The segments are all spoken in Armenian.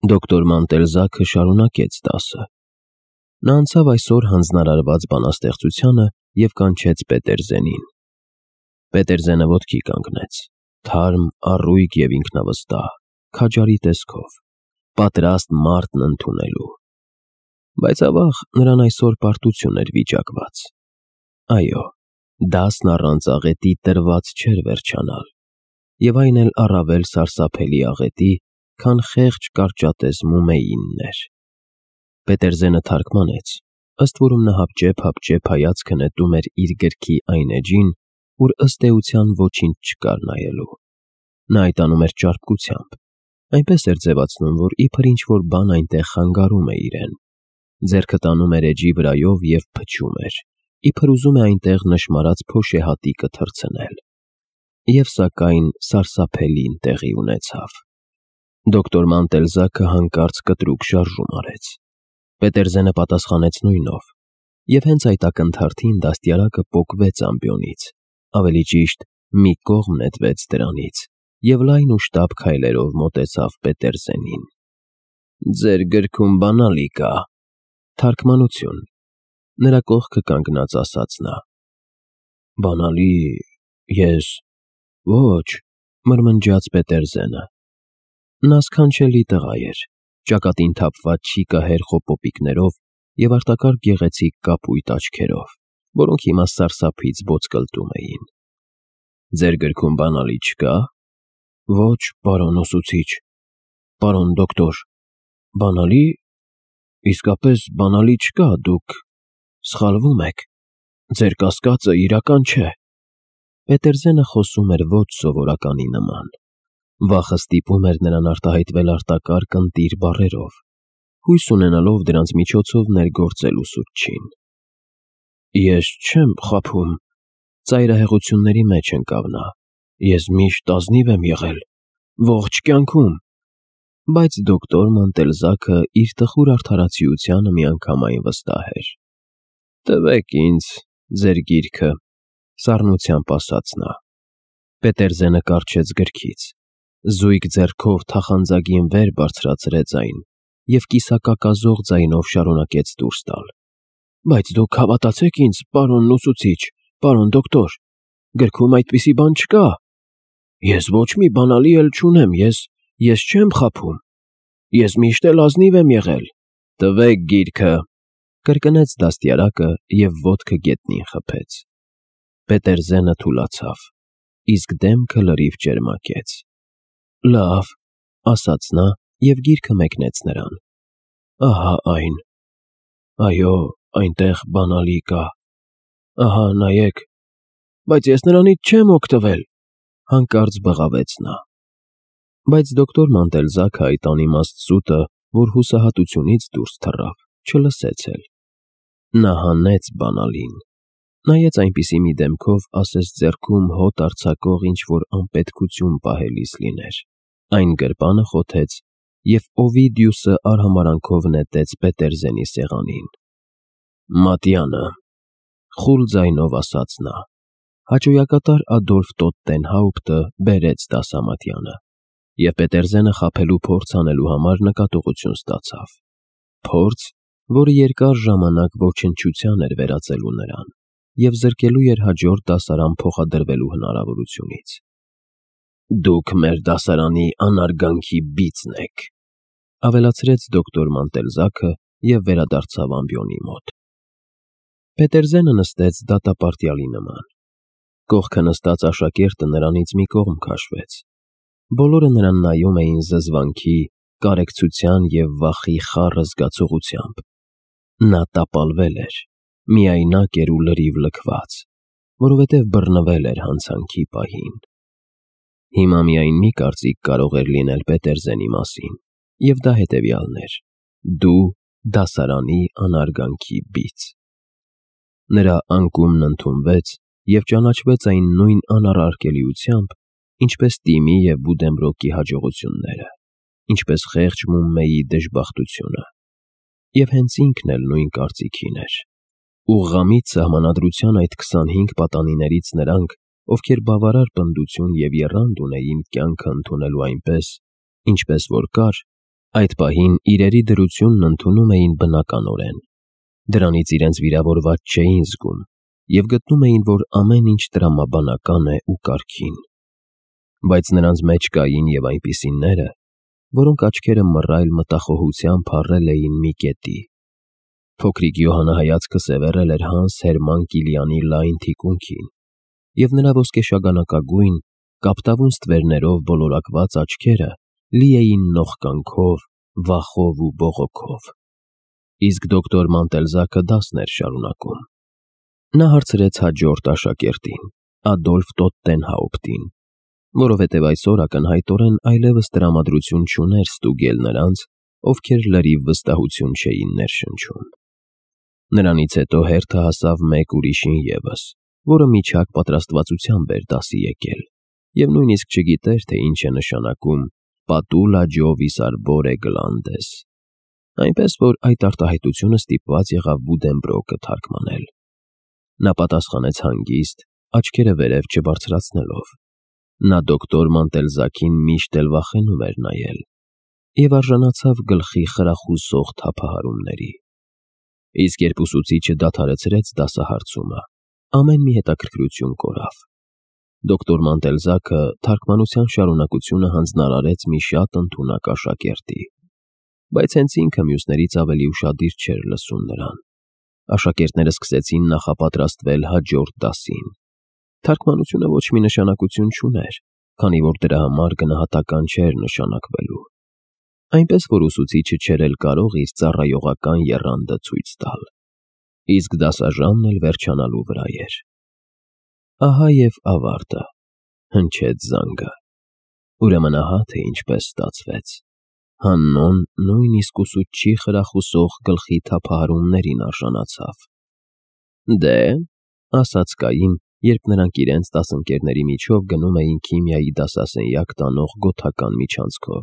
Դոկտոր Մանտելզաքը շարունակեց դասը։ Նա անցավ այսօր հանձնարարված բանաստեղծությանը և կանչեց Պետերզենին։ Պետերզենը ոտքի կանգնեց, թարմ, առույգ և ինքնավստահ, քաջարի տեսքով, պատրաստ մարտն ընդունելու։ Բայց ավաղ նրան այսօր պարտություն էր վիճակված։ Այո, դասն առանց աղետի տրված չէր վերջանալ, և այն էլ առավել սարսափելի աղետի, քան խեղճ կարճատեսմու էր։ Պետերզենը թարգմանեց, ըստ որում նա հապճեպ հայացքը նետում էր իր գրքի այն էջին, ուր ըստ էության ոչինչ չկար նայելու։ Նա այդ անում էր ճարպկությամբ, այնպես էր ձևացնում, որ իբր ինչ-որ բան այնտեղ խանգարում է իրեն։ Ձեռքը տանում էր էջի վրայով և փչում էր, իբր ուզում է այնտեղ նշմարած փոշեհատիկը թռցնել։ Եվ սակայն սարսափելին տեղի ունեցավ։ Դոկտոր Մանտելզաքը հանկարծ կտրուկ շարժում արեց։ Պետերզենը պատասխանեց նույնով, և հենց այդ ակնթարթին դաստիարակը պոկվեց ամբիոնից, ավելի ճիշտ մի կողմ նետվեց դրանից, և լայն ու շտապ քայլերով մոտեցավ Պետերզենին։ «Ձեր գրքում բանալի կա»։ Թարգմանություն։ Նրա կողքը կանգնած ասաց նա։ «Բանալի… ես… ոչ», մրմնջաց Պետերզենը։ Նա սքանչելի տղա էր, ճակատին թափված շիկահեր խոպոպիկներով և արտակարգ գեղեցիկ կապույտ աչքերով, որոնք հիմա սարսափից ոտկլտում էին։ «Ձեր գրքում բանալի չկա»։ «Ոչ, պարոն ուսուցիչ, պարոն դոկտոր, բանալի… իսկապես բանալի չկա, դուք սխալվում եք, ձեր կասկածը իրական չէ»։ Պետերզենը խոսում էր ոչ սովորականի նման։ Վախը ստիպում էր նրան արտահայտվել արտակարգ ընտիր բառերով, հույս ունենալով դրանց միջոցով ներգործել ուսուցչին։ «Ես չեմ խաբում», ծայրահեղությունների մեջ ընկավ նա։ «Ես միշտ ազնիվ եմ եղել, ողջ կյանքում»։ Բայց դոկտոր Մանտելզաքը իր տխուր արդարացիությանը միանգամայն վստահ էր։ «Տվեք ինձ ձեր գիրքը», սառնությամբ ասաց նա։ Պետերզենը կառչեց գրքից, զույգ ձեռքով թախանձագին վեր բարձրացրեց այն և կիսակակազող ձայնով շարունակեց դուրս տալ։ «Բայց դուք հավատացեք ինձ, պարոն ուսուցիչ, պարոն դոկտոր, գրքում այդպիսի բան չկա։ Ես ոչ մի բանալի էլ չունեմ, ես չեմ խաբում, ես միշտ էլ ազնիվ եմ եղել»։ «Տվեք գիրքը», կրկնեց դաստիարակը և ոտքը գետնին խփեց։ Պետերզենը թուլացավ, իսկ դեմքը լրիվ ճերմակեց։ «Լավ», ասաց նա և գիրքը մեկնեց նրան։ «Ահա այն։ Այո, այնտեղ բանալի կա։ Ահա նայեք, բայց ես նրանից չեմ օգտվել», հանկարծ բղավեց նա։ Բայց դոկտոր Մանտելզաքը այդ անիմաստ սուտը, որ հուսահատությունից դուրս թռավ, չլսեց էլ։ Նա հանեց բանալին, նայեց այնպիսի մի դեմքով, ասես ձեռքում հոտ արձակող ինչ-որ անպետքություն պահելիս լիներ, այն գրպանը խոթեց և Օվիդիուսը արհամարհանքով նետեց Պետերզենի սեղանին։ «Մատյանը», խուլ ձայնով ասաց նա։ Հաճոյակատար Ադոլֆ Տոտտենհաուպտը բերեց դասամատյանը, և Պետերզենը խաբելու փորձ անելու համար նկատողություն ստացավ։ Փորձ, որը երկար ժամանակ ոչնչության էր վերածելու նրան և զրկելու էր հաջորդ դասարան փոխադրվելու հնարավորությունից։ «Դուք մեր դասարանի անարգանքի բիծն եք», ավելացրեց դոկտոր Մանտելզաքը և վերադարձավ ամբիոնի մոտ։ Պետերզենը նստեց դատապարտյալի նման։ Կողքը նստած աշակերտը նրանից մի կողմ քաշվեց։ Բոլորը նրան նայում էին զզվանքի, կարեկցության և վախի խառը զգացողությամբ։ Նա տապալվել էր, միայնակ էր ու լրիվ լքված, որովհետև բռնվել էր հանցանքի պահին։ Հիմա միայն մի կարծիք կարող էր լինել Պետերզենի մասին, և դա հետևյալն էր. դու դասարանի անարգանքի բիծ։ Նրա անկումն ընդունվեց և ճանաչվեց այն նույն անառարկելիությամբ, ինչպես Տիմի և Բուդենբրոկի հաջողությունները, ինչպես խեղճ Մումմեի դժբախտությունը։ Եվ հենց ինքն էլ նույն կարծիքին էր։ Ուղղամիտ սահմանադրության այդ 25 պատանիներից նրանք, ովքեր բավարար պնդություն և եռանդ ունեին կյանքը ընդունելու այնպես, ինչպես որ կար, Այդ պահին իրերի դրությունն ընդունում էին բնականորեն։ Դրանից իրենց վիրավորված չէին զգում և գտնում էին, որ ամեն ինչ տրամաբանական է ու կարգին։ Բայց նրանց մեջ կային և այնպիսիները, որոնք աչքերը մռայլ մտախոհությամբ փառել էին մի կետի։ Փոքրիկ Յոհանը հայացքը սևեռել էր Հանս Հերման Կիլիանի լայն թիկունքին, և նրա ոսկեշագանակագույն, կապտավուն ստվերներով բոլորակված աչքերը լի էին նողկանքով, վախով ու բողոքով։ Իսկ դոկտոր Մանտելզաքը դասն էր շարունակում։ Նա հարցրեց հաջորդ աշակերտին՝ Ադոլֆ Տոտտենհաուպտին, որովհետև այսօր ակնհայտորեն այլևս տրամադրություն չուներ ստուգել նրանց, ովքեր լրիվ վստահություն չէին ներշնչում։ Նրանից հետո հերթը հասավ մեկ ուրիշին ևս, որը միջակ պատրաստվածությամբ էր դասի եկել, և նույնիսկ չգիտեր, թե ինչ է նշանակում «Պատուլա ջովիս արբորե գլանդես», այնպես որ այդ արտահայտությունը ստիպված եղավ Բուդենբրոկը թարգմանել։ Նա պատասխանեց հանգիստ, աչքերը վերև չբարձրացնելով։ Նա դոկտոր Մանտելզաքին միշտ էլ վախենում էր նայել և արժանացավ գլխի խրախուսող թափահարումների։ Իսկ երբ ուսուցիչը դադարեցրեց դասահարցումը, ամեն մի հետաքրքրություն կորավ։ Դոկտոր Մանտելզաքը թարգմանության շարունակությունը հանձնարարեց մի շատ ընդունակ աշակերտի, բայց հենց ինքը մյուսներից ավելի ուշադիր չէր լսում նրան։ Աշակերտները սկսեցին նախապատրաստվել հաջորդ դասին։ Թարգմանությունը ոչ մի նշանակություն չուներ, քանի որ դրա համար գնահատական չէր նշանակվելու։ Այնպես որ ուսուցիչը չէր էլ կարող իր ծառայողական եռանդը ցույց տալ։ Իսկ դասաժամն էլ վերջանալու վրա էր։ Ահա և ավարտը, հնչեց զանգը։ Ուրեմն ահա թե ինչպես ստացվեց։ Հաննոն նույնիսկ ուսուցչի խրախուսող գլխի թափահարումներին արժանացավ։ Դե, ասաց Կային, երբ նրանք իրենց դասընկերների միջով գնում էին քիմիայի դասասենյակ տանող գոթական միջանցքով։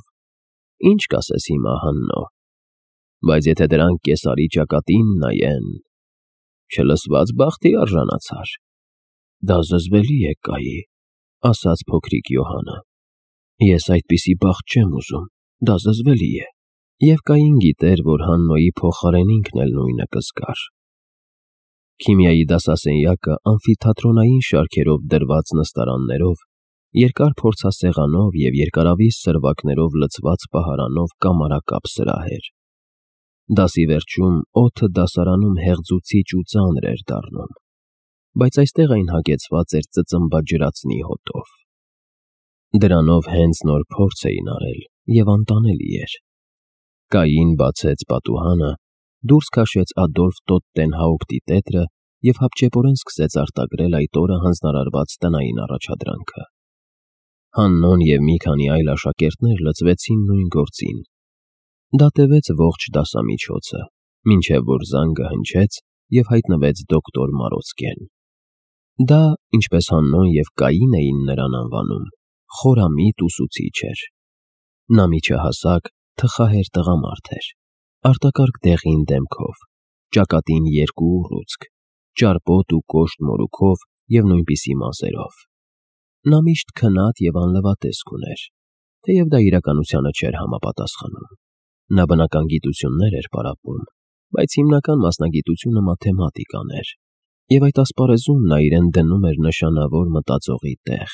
Ինչ կասես հիմա, Հաննո։ Բայց եթե դրանք կեսարի ճակատին նայեն… Չլսված բախտի արժանացար։ Դա զզվելի է, Կայի, ասաց փոքրիկ Յոհանը։ Ես այդպիսի բախտ չեմ ուզում, դա զզվելի է։ Եվ Կային գիտեր, որ Հաննոյի փոխարեն ինքն էլ նույնը կզգար։ Քիմիայի դասասենյակը ամֆիթատրոնային շարքերով դրված նստարաններով, երկար փորձասեղանով և երկարավիզ սրվակներով լցված պահարանով կամարակապ սրահ էր։ Դասի վերջում օդը դասարանում հեղձուցիչ ու ծանր էր դառնում, բայց այստեղ այն հագեցված էր ծծմբաջրածնի հոտով։ Դրանով հենց նոր փորձ էին արել և անտանելի էր։ Կային բացեց պատուհանը, դուրս քաշեց Ադոլֆ Տոտտենհաուպտի տետրը և հապճեպորեն սկսեց արտագրել այդ օրը հանձնարարված տնային առաջադրանքը։ Հաննոն և մի քանի այլ աշակերտներ լծվեցին նույն գործին։ Դա տևեց ողջ դասամիջոցը, մինչև որ զանգը հնչեց և հայտնվեց դոկտոր Մարոցկեն։ Դա, ինչպես Հաննոն և Կային էին նրան անվանում, խորամիտ ուսուցիչ էր։ Նա միջահասակ, թխահեր տղամարդ էր, արտակարգ դեղին դեմքով, ճակատին երկու ուռուցք, ճարպոտ ու կոշտ մորուքով և նույնպիսի մազերով։ Նա միշտ քնած և անլվատեսկ ուներ, թեև դա իրականությանը չէր համապատասխանում։ Նա բնական գիտություններ էր պարապում, բայց հիմնական մասնագիտությունը մաթեմատիկան էր, և այդ ասպարեզում նա իրեն դնում էր նշանավոր մտածողի տեղ։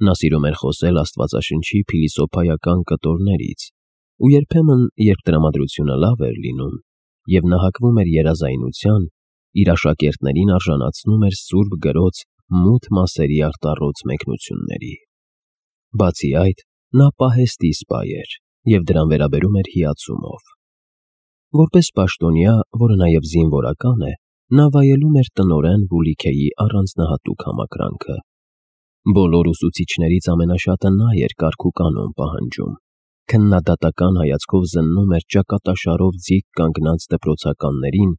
Նա սիրում էր խոսել Աստվածաշնչի փիլիսոփայական կտորներից, ու երբեմն, երբ տրամադրությունը լավ էր լինում, և նա հակվում էր երազայնության, իր աշակերտներին արժանացնում էր Սուրբ Գրոց մութ մասերի արտառոց մեկնությունների։ Բացի այդ, նա պահեստի սպա էր և դրան վերաբերում էր հիացումով։ Որպես պաշտոնյա, որը նաև զինվորական է, նա վայելում էր տնօրեն Վուլիքեի առանձնահատուկ համակրանքը։ Բոլոր ուսուցիչներից ամենաշատը նա էր կարգ ու կանոն պահանջում, քննադատական հայացքով զննում էր ճակատաշարով ձիգ կանգնած դպրոցականներին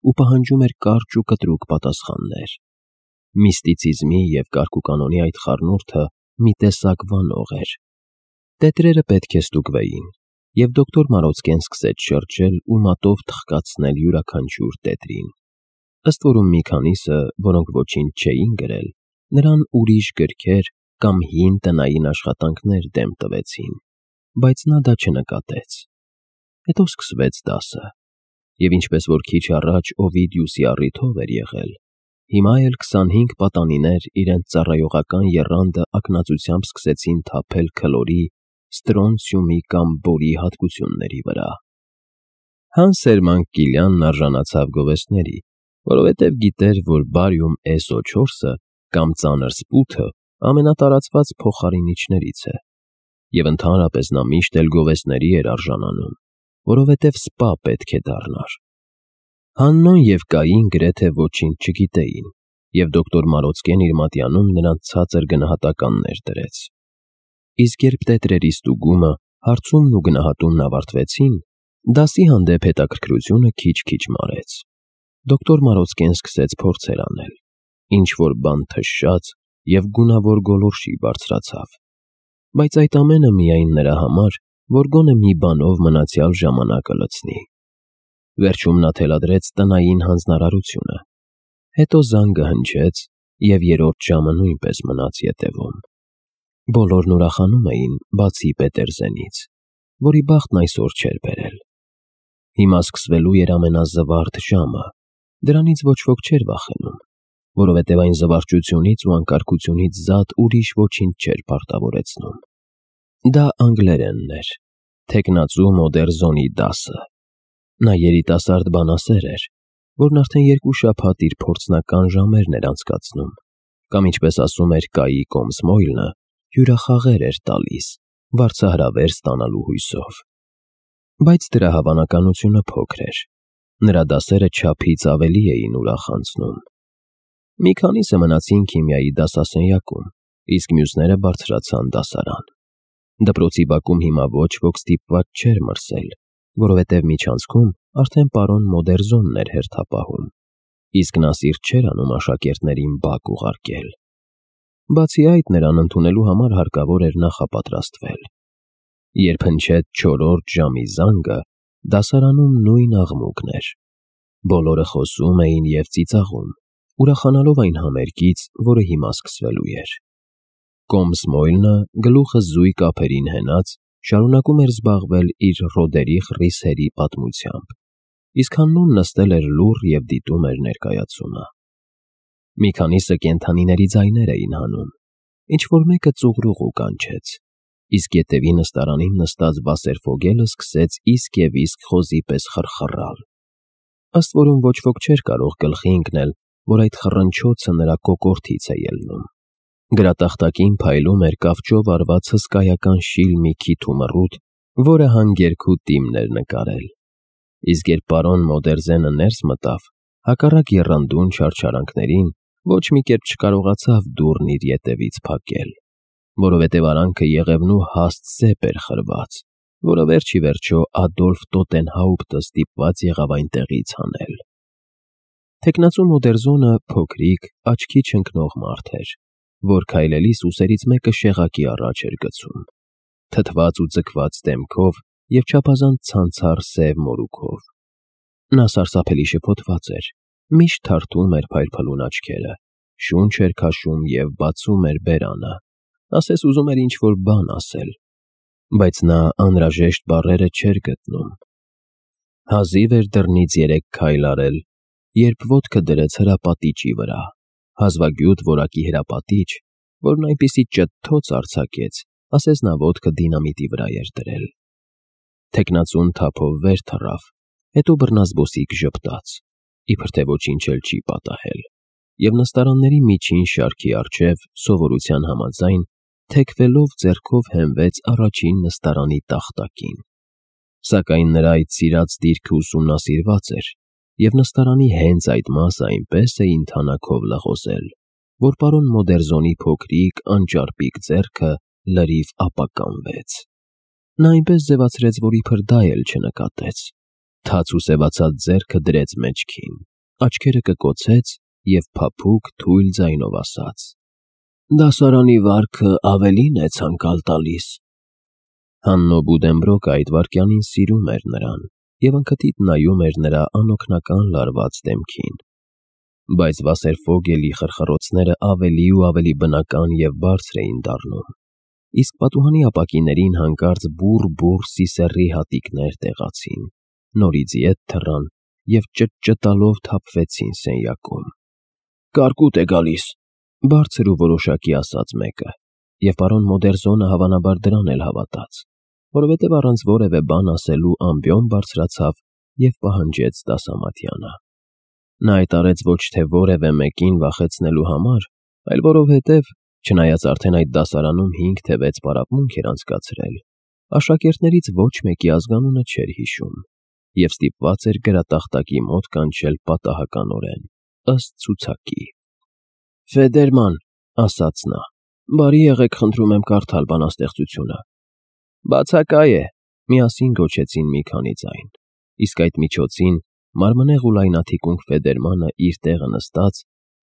ու պահանջում էր կարճ ու կտրուկ պատասխաններ։ Միստիցիզմի և կարգ ու կանոնի այդ խառնուրդը մի տեսակ վանող էր։ Տետրերը պետք է ստուգվեին, և դոկտոր Մարոցկեն սկսեց շրջել ու մատով թխկացնել յուրաքանչյուր տետրին։ Ըստ որում մի քանիսը, որոնք ոչինչ չէին գրել, նրան ուրիշ գրքեր կամ հին տնային աշխատանքներ դեմ տվեցին, բայց նա դա չնկատեց։ հետո սկսվեց դասը։ Եվ ինչպես որ քիչ առաջ Օվիդիուսի առիթով էր եղել, հիմա էլ 25 պատանիներ իրենց ծառայողական եռանդը ակնածությամբ սկսեցին թափել քլորի, ստրոնցիումի կամ բորի հատկությունների վրա։ Հանսերման Կիլյանն արժանացավ գովեստների, որովհետև գիտեր, որ բարիում SO4-ը կամ ծանր սպութը ամենատարածված փոխարինիչներից է, և ընդհանրապես նա միշտ էլ գովեստների էր արժանանում, որովհետև սպա պետք է դառնար։ Հաննոն և Կային գրեթե ոչինչ չգիտեին, և դոկտոր Մարոցկեն իր մատյանում նրանց ցածր գնահատականներ դրեց։ Իսկ երբ տետրերի ստուգումը, հարցումն ու գնահատումն ավարտվեցին, դասի հանդեպ հետաքրքրությունը քիչ-քիչ մարեց։ Դոկտոր Մարոցկեն սկսեց փորձեր անել, ինչ-որ բան թշաց և գունավոր գոլորշի բարձրացավ, բայց այդ ամենը միայն նրա համար, որ գոնե մի բանով մնացյալ ժամանակը լցնի։ Վերջում նա թելադրեց տնային հանձնարարությունը, հետո զանգը հնչեց, և երրորդ ժամը նույնպես մնաց ետևում։ Բոլորն ուրախանում էին, բացի Պետերզենից, որի բախտն այսօր չէր բերել։ Հիմա սկսվելու էր ամենազվարթ ժամը, դրանից ոչ ոք չէր վախենում, որովհետև այն զվարճությունից ու անկարգությունից զատ ուրիշ ոչինչ չէր պարտավորեցնում։ Դա անգլերենն էր, թեկնածու Մոդերզոնի դասը։ Նա երիտասարդ բանասեր էր, որն արդեն 2 շաբաթ իր փորձնական ժամերն էր անցկացնում, կամ ինչպես ասում էր Կայի Կոմսմոյլնը, հյուրախաղեր էր տալիս, վարձահրավեր ստանալու հույսով։ Բայց դրա հավանականությունը փոքր էր։ Նրա դասերը չափից ավելի էին ուրախացնում։ Մի քանիսը մնացին քիմիայի դասասենյակում, իսկ մյուսները բարձրացան դասարան։ Դպրոցի բակում հիմա ոչ ոք ստիպված չէր մրսել, որովհետև միջանցքում արդեն պարոն Մոդերզոնն էր հերթապահում, իսկ նա սիրտ չէր անում աշակերտներին բակ ուղարկել։ Բացի այդ, նրան ընդունելու համար հարկավոր էր նախապատրաստվել։ Երբ հնչեց 4-րդ ժամի զանգը, դասարանում նույն աղմուկն էր։ Բոլորը խոսում էին և ծիծաղում, ուրախանալով այն համերգից, որը հիմա սկսվելու էր։ Կոմսմոյլնը, գլուխը զույգ ափերին հենած, շարունակում էր զբաղվել իր Ռոդերիխ Ռիսերի պատմությամբ, իսկ Հաննուն նստել էր լուռ և դիտում էր ներկայացումը։ Մի քանիսը կենդանիների ձայներ էին հանում, ինչ-որ մեկը ծուղրուղու կանչեց, իսկ ետևի նստարանին նստած Վասերֆոգելը սկսեց իսկ և իսկ խոզի պես խռխռալ։ Ըստ որում ոչ ոք չէր կարող գլխի ընկնել, որ այդ խռնչոցը նրա կոկորդից է ելնում։ Գրատախտակին փայլում էր կավճով արված հսկայական շիլ մի քիթ ու մռութ, որը հանգերգու տիմն էր նկարել։ Իսկ երբ պարոն Մոդերզենը ներս մտավ, հակառակ եռանդուն չարչարանքներին, ոչ մի կերպ չկարողացավ դուռն իր ետևից փակել, որովհետև արանքը եղևնու հաստ սեպ էր խրված, որը վերջ ի վերջո Ադոլֆ Տոտենհաուպտը ստիպված եղավ այնտեղից հանել։ Թեկնածու Մոդերզոնը փոքրիկ, աչքի չընկնող մարդ էր, որ քայլելիս ուսերից մեկը շեղակի առաջ էր գցում, թթված ու ձգված դեմքով և չափազանց ցանցառ սև մորուքով։ Նա սարսափելի շփոթված էր, միշտ թարթում էր փայլփլուն աչքերը, շունչ էր քաշում և բացում էր բերանը, ասես ուզում էր ինչ-որ բան ասել, բայց նա անհրաժեշտ բառերը չէր գտնում։ Հազիվ էր դռնից 3 քայլ արել, երբ ոտքը դրեց հրապատիճի վրա, հազվագյուտ որակի հրապատիճ, որն այնպիսի ճտթոց արձակեց, ասես նա ոտքը դինամիտի վրա էր դրել։ Թեկնածուն թափով վեր թռավ, հետո բռնազբոսիկ ժպտաց, իբր թե ոչինչ էլ չի պատահել, և նստարանների միջին շարքի առջև սովորության համաձայն թեքվելով ձեռքով հենվեց առաջին նստարանի տախտակին։ Սակայն նրա այդ սիրած դիրքը ուսումնասիրված էր, և նստարանի հենց այդ մասը այնպես էին թանաքով լղոզել, որ պարոն Մոդերզոնի փոքրիկ, անճարպիկ ձեռքը լրիվ ապականվեց։ Նա այնպես ձևացրեց, որ իբր դա էլ չնկատեց, թաց ու սևացած ձեռքը դրեց մեջքին, աչքերը կկոցեց և փափուկ, թույլ ձայնով ասաց. «Դասարանի վարքը ավելին է ցանկալ տալիս»։ Հաննո Բուդենբրոկը այդ վայրկյանին սիրում էր նրան և անքթիթ նայում էր նրա անօգնական լարված դեմքին։ Բայց Վասերֆոգելի խրխրոցները ավելի ու ավելի բնական և բարձր էին դառնում։ իսկ պատուհանի ապակիներին հանկարծ բուռ սիսեռի հատիկներ տեղացին, նորից ետ թռան և ճտճտալով թափվեցին սենյակում։ «Կարկուտ է գալիս», բարձր ու որոշակի ասաց մեկը, և պարոն Մոդերզոնը հավանաբար դրան էլ հավատաց, որովհետև առանց որևէ բան ասելու ամբիոն բարձրացավ և պահանջեց դասամատյանը։ Նա այդ արեց ոչ թե որևէ մեկին վախեցնելու համար, այլ որովհետև, չնայած արդեն այդ դասարանում 5 թե 6 պարապմունք էր անցկացրել, աշակերտներից ոչ մեկի ազգանունը չէր հիշում և ստիպված էր գրատախտակի մոտ կանչել պատահականորեն, ըստ ցուցակի։ «Ֆեդերման», ասաց նա, «բարի եղեք, խնդրում եմ կարդալ բանաստեղծությունը»։ «Բացակայ է», միասին գոչեցին մի քանի ձայն, իսկ այդ միջոցին մարմնեղ ու լայնաթիկունք Ֆեդերմանը իր տեղը նստած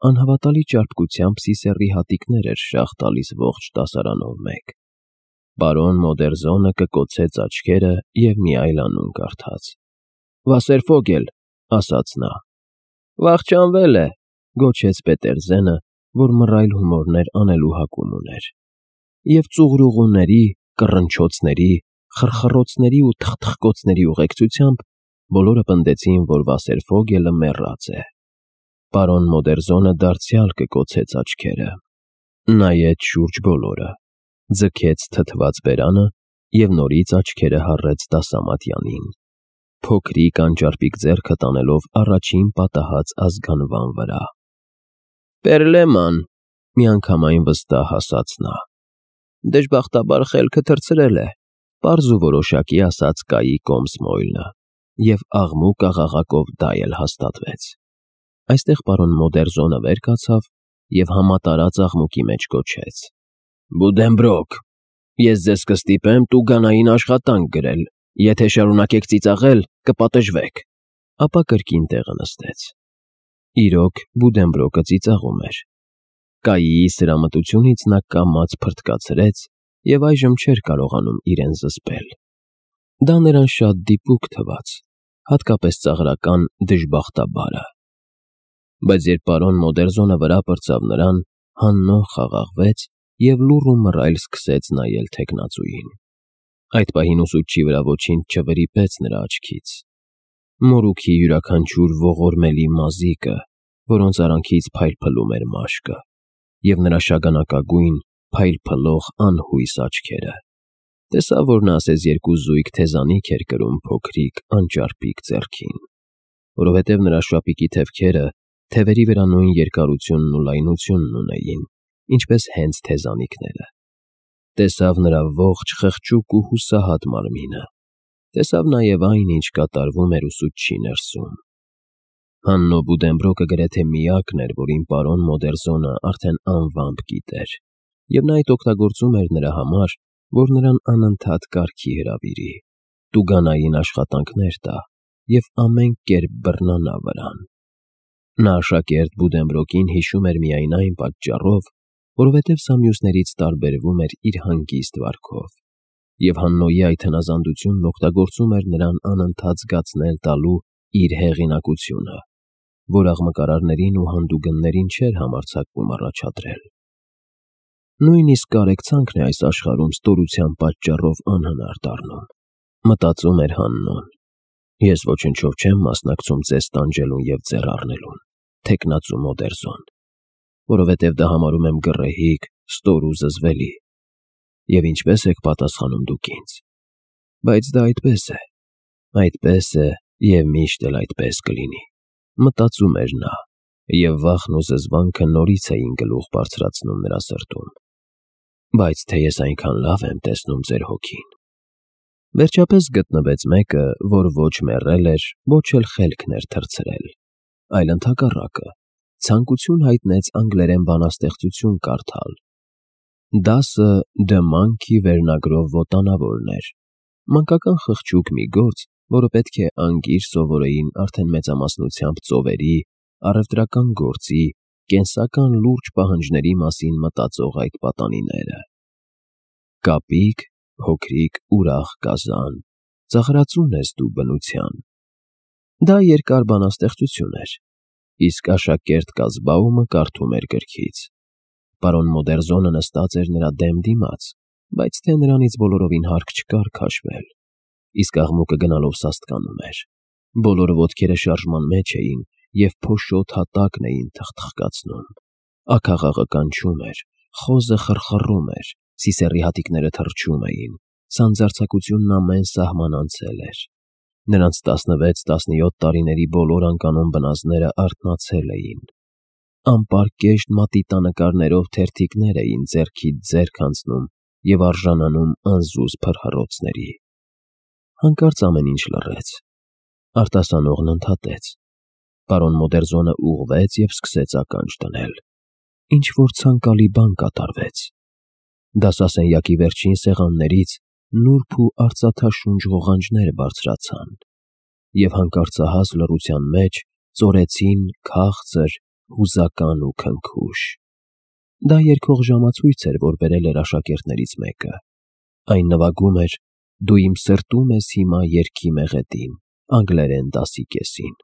անհավատալի ճարպկությամբ սիսեռի հատիկներ էր շաղ տալիս ողջ դասարանով մեկ։ Պարոն Մոդերզոնը կկոցեց աչքերը և մի այլ անուն կարդաց։ «Վասերֆոգել», ասաց նա։ «Վախճանվել է», գոչեց Պետերզենը, որ մռայլ հումորներ անելու հակում ուներ։ Եվ ծուղրուղուների, կռնչոցների, խռխռոցների ու թխթխկոցների ուղեկցությամբ բոլորը պնդեցին, որ Վասերֆոգելը մեռած է։ Պարոն Մոդերզոնը դարձյալ կկոցեց աչքերը, նայեց շուրջ բոլորը, ձգեց թթված բերանը և նորից աչքերը հառեց դասամատյանին, փոքրիկ անճարպիկ ձեռքը տանելով առաջին պատահած ազգանվան վրա։ «Պերլեման», միանգամայն վստահ ասաց նա։ «Դժբախտաբար խելքը թռցրել է», պարզ ու որոշակի ասաց Կայի Կոմսմոյլը, և աղմուկ աղաղակով դա էլ հաստատվեց։ Այստեղ պարոն Մոդերզոնը վեր կացավ և համատարած աղմուկի մեջ գոչեց. «Բուդենբրոկ, ես ձեզ կստիպեմ տուգանային աշխատանք գրել, եթե շարունակեք ծիծաղել, կպատժվեք»։ Ապա կրկին տեղը նստեց։ Իրոք, Բուդենբրոկը ծիծաղում էր։ Կայիի սրամտությունից նա կամաց փրթկացրեց և այժմ չէր կարողանում իրեն զսպել։ Դա նրան շատ դիպուկ թվաց, հատկապես ծաղրական «դժբախտաբարը»։ Բայց երբ պարոն Մոդերզոնը վրա պրծավ նրան, հաննող խաղաղվեց և լուռ ու մռայլ սկսեց նայել թեկնածուին։ Այդ պահին ուսուցչի վրա ոչինչ չվրիպեց նրա աչքից։ Մորուքի յուրաքանչյուր ողորմելի մազիկը, որոնց արանքից փայլփլում էր մաշկը, և նրա շագանակագույն, փայլփլող անհույս աչքերը։ Տեսավ, որ նա ասես երկու զույգ թեզանիք էր կրում փոքրիկ, անճարպիկ ձեռքին, որովհետև նրա շապիկի թևքերը թևերի վրա նույն երկարությունն ու լայնությունն ունեին, ինչպես հենց թեզանիքները։ Տեսավ նրա ողջ խղճուկ ու հուսահատ մարմինը, տեսավ նաև այն, ինչ կատարվում էր ուսուցչի ներսում։ Հաննո Բուդենբրոկը գրեթե միակն էր, որին պարոն Մոդերզոնը արդեն անվամբ գիտեր, և նա այդ օգտագործում էր նրա համար, որ նրան անընդհատ կարգի հրավիրի, տուգանային աշխատանքներ տա և ամեն կերպ բռնանա վրան։ Նա աշակերտ Բուդենբրոկին հիշում էր միայն այն պատճառով, որովհետև սա մյուսներից տարբերվում էր իր հանգիստ վարքով, և Հաննոյի այդ հնազանդությունն օգտագործում էր նրան անընդհատ զգացնել տալու իր հեղինակությունը, որ աղմկարարներին ու հանդուգններին չէր համարձակվում առաջադրել։ Նույնիսկ կարեկցանքն է այս աշխարհում ստորության պատճառով անհնար դառնում, մտածում էր Հաննոն։ Ես ոչնչով չեմ մասնակցում ձեզ տանջելուն և ձեռ առնելուն, թեկնածու Մոդերզոն, որովհետև դա համարում եմ գռեհիկ, ստոր ու զզվելի։ Եվ ինչպե՞ս եք պատասխանում դուք ինձ։ Բայց դա այդպես է և միշտ էլ այդպես կլինի, մտածում էր նա, և վախն ու զզվանքը նորից էին գլուխ բարձրացնում նրա սրտում։ Բայց թե ես այնքան լավ եմ տեսնում ձեր հոգին։ Վերջապես գտնվեց մեկը, որ ոչ մեռել էր, ոչ էլ խելքն էր թռցրել, այլ ընդհակառակը, ցանկություն հայտնեց անգլերեն բանաստեղծություն կարդալ։ Դասը «The Monkey» վերնագրով վոտանավորն էր, մանկական խղճուկ մի գործ, որը պետք է անգիր սովորեին արդեն մեծամասնությամբ ծովերի, առևտրական գործի, կենսական լուրջ պահանջների մասին մտածող այդ պատանիները։ Կապիկ, փոքրիկ, ուրախ կազան, ծաղրածուն ես դու բնության։ Դա երկար բանաստեղծություն էր, իսկ աշակերտ Կազբաումը կարդում էր գրքից։ Պարոն Մոդերզոնը նստած էր նրա դեմ դիմաց, բայց թե նրանից բոլորովին հարկ չկար քաշվել, իսկ աղմուկը գնալով սաստկանում էր։ Բոլոր ոտքերը շարժման մեջ էին և փոշոտ հատակն էին թխթխկացնում։ Աքաղաղը կանչում էր, խոզը խռխռում էր, սիսեռի հատիկները թռչում էին, սանձարձակությունն ամեն սահման անցել էր։ Նրանց 16-17 տարիների բոլոր անկանոն բնազդները արթնացել էին։ Անպարկեշտ մատիտանկարներով թերթիկներ էին ձեռքից ձեռք անցնում և արժանանում անզուզ փրհռոցների։ Հանկարծ ամեն ինչ լռեց։ Արտասանողն ընդհատեց։ Պարոն Մոդերզոնը ուղղվեց և սկսեց ականջ դնել։ Ինչ-որ ցանկալի բան կատարվեց։ Դասասենյակի վերջին սեղաններից նուրբ ու արծաթաշունչ ղողանջներ բարձրացան և հանկարծահաս լռության մեջ ծորեցին քաղցր, հուզական ու քնքուշ։ Դա երգող ժամացույց էր, որ բերել էր աշակերտներից մեկը։ Այն նվագում էր «Դու իմ սրտում ես հիմա» երգի մեղեդին անգլերեն դասի կեսին։